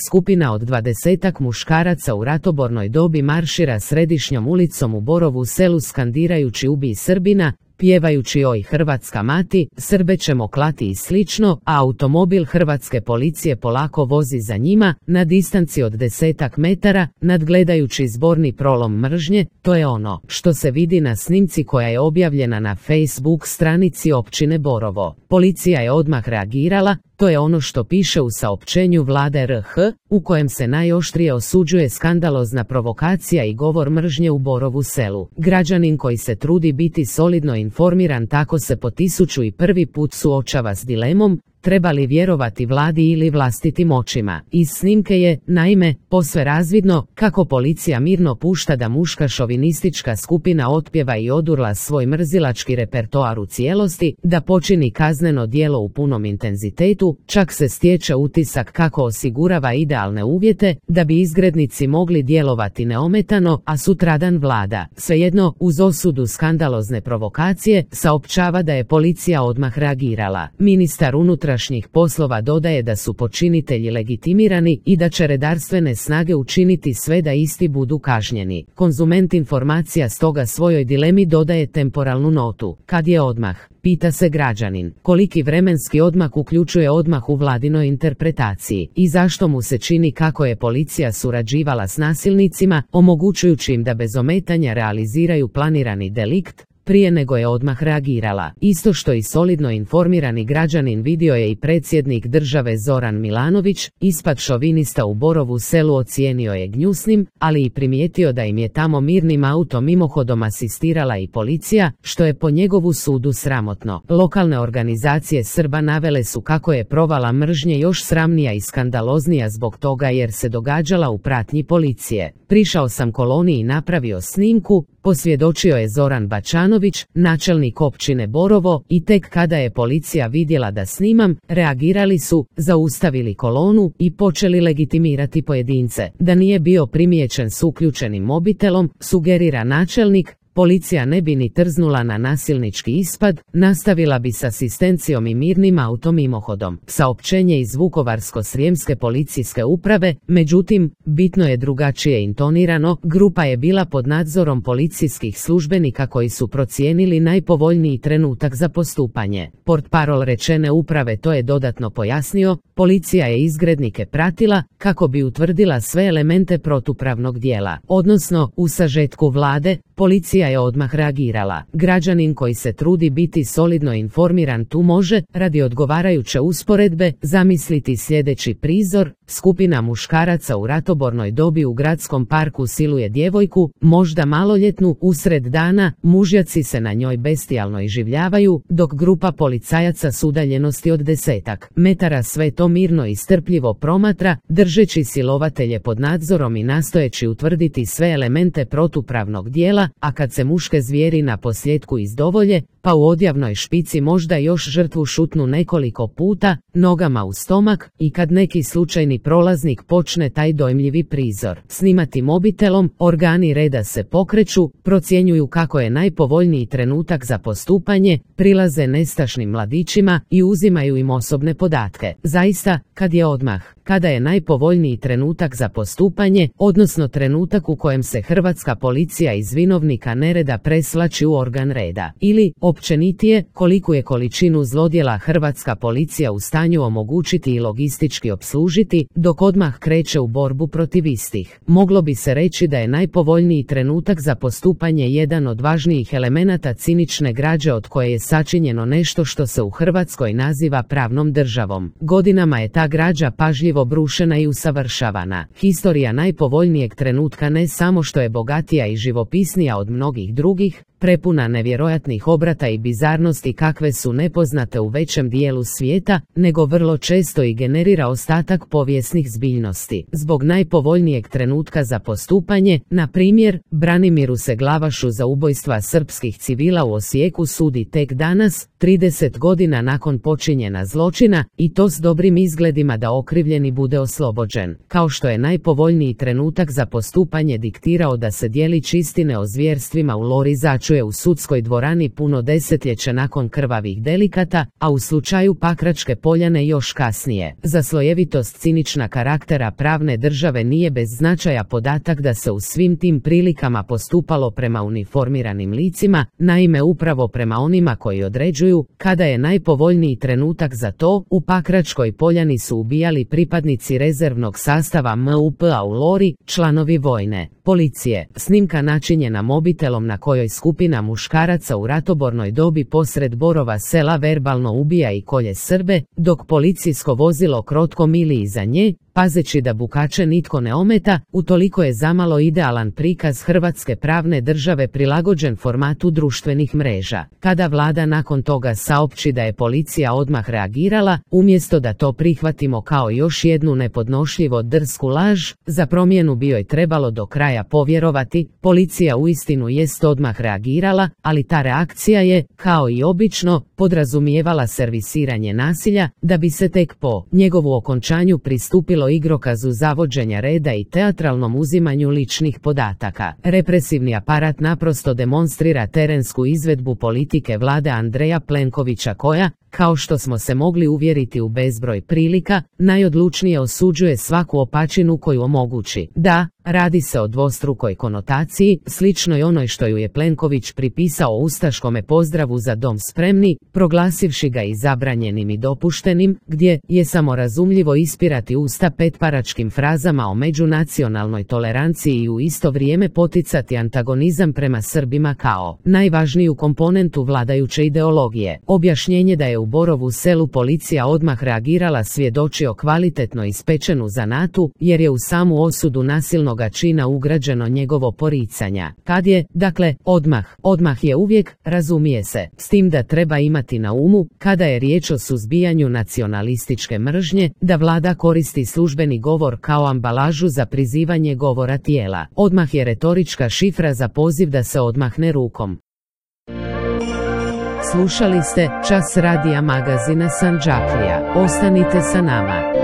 skupina od 20-ak muškaraca u ratobornoj dobi maršira središnjom ulicom u Borovu Selu skandirajući ubij Srbina, pjevajući oj Hrvatska mati, Srbe ćemo klati i slično, a automobil hrvatske policije polako vozi za njima, na distanci od 10-ak metara, nadgledajući zborni prolom mržnje. To je ono što se vidi na snimci koja je objavljena na Facebook stranici općine Borovo. Policija je odmah reagirala. To je ono što piše u saopćenju Vlade RH, u kojem se najoštrije osuđuje skandalozna provokacija i govor mržnje u Borovu Selu. Građanin koji se trudi biti solidno informiran tako se po 1001 put suočava s dilemom, treba li vjerovati vladi ili vlastitim očima. Iz snimke je, naime, posve razvidno kako policija mirno pušta da muška šovinistička skupina otpjeva i odurla svoj mrzilački repertoar u cijelosti, da počini kazneno djelo u punom intenzitetu, čak se stječe utisak kako osigurava idealne uvjete da bi izgrednici mogli djelovati neometano, a sutradan vlada, svejedno uz osudu skandalozne provokacije, saopćava da je policija odmah reagirala. Ministar unutrašnjih poslova dodaje da su počinitelji legitimirani i da će redarstvene snage učiniti sve da isti budu kažnjeni. Konzument informacija stoga svojoj dilemi dodaje temporalnu notu. Kad je odmah? Pita se građanin. Koliki vremenski odmak uključuje odmah u vladinoj interpretaciji i zašto mu se čini kako je policija surađivala s nasilnicima, omogućujući im da bez ometanja realiziraju planirani delikt, prije nego je odmah reagirala. Isto što i solidno informirani građanin vidio je i predsjednik države Zoran Milanović. Ispad šovinista u Borovu Selu ocijenio je gnjusnim, ali i primijetio da im je tamo mirnim autom mimohodom asistirala i policija, što je po njegovu sudu sramotno. Lokalne organizacije Srba navele su kako je provala mržnje još sramnija i skandaloznija zbog toga jer se događala u pratnji policije. Prišao sam koloni i napravio snimku, posvjedočio je Zoran Bačanović, načelnik općine Borovo, i tek kada je policija vidjela da snimam, reagirali su, zaustavili kolonu i počeli legitimirati pojedince. Da nije bio primijećen s uključenim mobitelom, sugerira načelnik, policija ne bi ni trznula na nasilnički ispad, nastavila bi s asistencijom i mirnim autom mimohodom. Saopćenje iz Vukovarsko-srijemske policijske uprave, međutim, bitno je drugačije intonirano. Grupa je bila pod nadzorom policijskih službenika koji su procijenili najpovoljniji trenutak za postupanje. Portparol rečene uprave to je dodatno pojasnio. Policija je izgrednike pratila kako bi utvrdila sve elemente protupravnog djela. Odnosno, u sažetku vlade, policija je odmah reagirala. Građanin koji se trudi biti solidno informiran tu može, radi odgovarajuće usporedbe, zamisliti sljedeći prizor. Skupina muškaraca u ratobornoj dobi u gradskom parku siluje djevojku, možda maloljetnu, usred dana, mužjaci se na njoj bestijalno iživljavaju, dok grupa policajaca s udaljenosti od 10-ak metara sve to mirno i strpljivo promatra, držeći silovatelje pod nadzorom i nastojeći utvrditi sve elemente protupravnog djela, a kad se muške zvijeri na posljedku izdovolje, pa u odjavnoj špici možda još žrtvu šutnu nekoliko puta, nogama u stomak, i kad neki slučajni prolaznik počne taj dojmljivi prizor snimati mobitelom, organi reda se pokreću, procjenjuju kako je najpovoljniji trenutak za postupanje, prilaze nestašnim mladićima i uzimaju im osobne podatke. Zaista, kad je odmah? Kada je najpovoljniji trenutak za postupanje, odnosno trenutak u kojem se hrvatska policija iz vinovnika nereda presvlači u organ reda? Ili, općenitije, koliku je količinu zlodjela hrvatska policija u stanju omogućiti i logistički opslužiti, dok odmah kreće u borbu protiv istih? Moglo bi se reći da je najpovoljniji trenutak za postupanje jedan od važnijih elemenata cinične građe od koje je sačinjeno nešto što se u Hrvatskoj naziva pravnom državom. Godinama je ta građa pažljivo brušena i usavršavana. Historija najpovoljnijeg trenutka ne samo što je bogatija i živopisnija od mnogih drugih, prepuna nevjerojatnih obrata i bizarnosti kakve su nepoznate u većem dijelu svijeta, nego vrlo često i generira ostatak povijesnih zbiljnosti. Zbog najpovoljnijeg trenutka za postupanje, na primjer, Branimiru se Glavašu za ubojstva srpskih civila u Osijeku sudi tek danas, 30 godina nakon počinjena zločina, i to s dobrim izgledima da okrivljeni bude oslobođen. Kao što je najpovoljniji trenutak za postupanje diktirao da se djelić istine o zvjerstvima u Lori začupa odlučuje u sudskoj dvorani puno desetljeće nakon krvavih delikata, a u slučaju Pakračke Poljane još kasnije. Za slojevitost cinična karaktera pravne države nije bez značaja podatak da se u svim tim prilikama postupalo prema uniformiranim licima, naime upravo prema onima koji određuju kada je najpovoljniji trenutak za to. U Pakračkoj Poljani su ubijali pripadnici rezervnog sastava MUP-a u Lori, članovi vojne policije. Snimka načinjena mobitelom na kojoj skupina muškaraca u ratobornoj dobi posred Borova Sela verbalno ubija i kolje Srbe, dok policijsko vozilo krotko mili iza nje, pazeći da bukače nitko ne ometa. Utoliko je zamalo idealan prikaz hrvatske pravne države prilagođen formatu društvenih mreža. Kada vlada nakon toga saopći da je policija odmah reagirala, umjesto da to prihvatimo kao još jednu nepodnošljivo drsku laž, za promjenu bi joj trebalo do kraja povjerovati. Policija uistinu jest odmah reagirala, ali ta reakcija je, kao i obično, podrazumijevala servisiranje nasilja, da bi se tek po njegovu okončanju pristupilo igrokazu zavođenja reda i teatralnom uzimanju ličnih podataka. Represivni aparat naprosto demonstrira terensku izvedbu politike vlade Andreja Plenkovića koja, kao što smo se mogli uvjeriti u bezbroj prilika, najodlučnije osuđuje svaku opačinu koju omogući. Da, radi se o dvostrukoj konotaciji, sličnoj onoj što ju je Plenković pripisao ustaškome pozdravu Za dom spremni, proglasivši ga i zabranjenim i dopuštenim, gdje je samorazumljivo ispirati usta petparačkim frazama o međunacionalnoj toleranciji i u isto vrijeme poticati antagonizam prema Srbima kao najvažniju komponentu vladajuće ideologije. Objašnjenje da je u Borovu Selu policija odmah reagirala svjedoči o kvalitetno ispečenu zanatu, jer je u samu osudu nasilnoga čina ugrađeno njegovo poricanja. Kad je, dakle, odmah je uvijek, razumije se, s tim da treba imati na umu, kada je riječ o suzbijanju nacionalističke mržnje, da vlada koristi službeni govor kao ambalažu za prizivanje govora tijela. Odmah je retorička šifra za poziv da se odmahne rukom. Slušali ste Čas radija magazina Sandžaklija. Ostanite sa nama.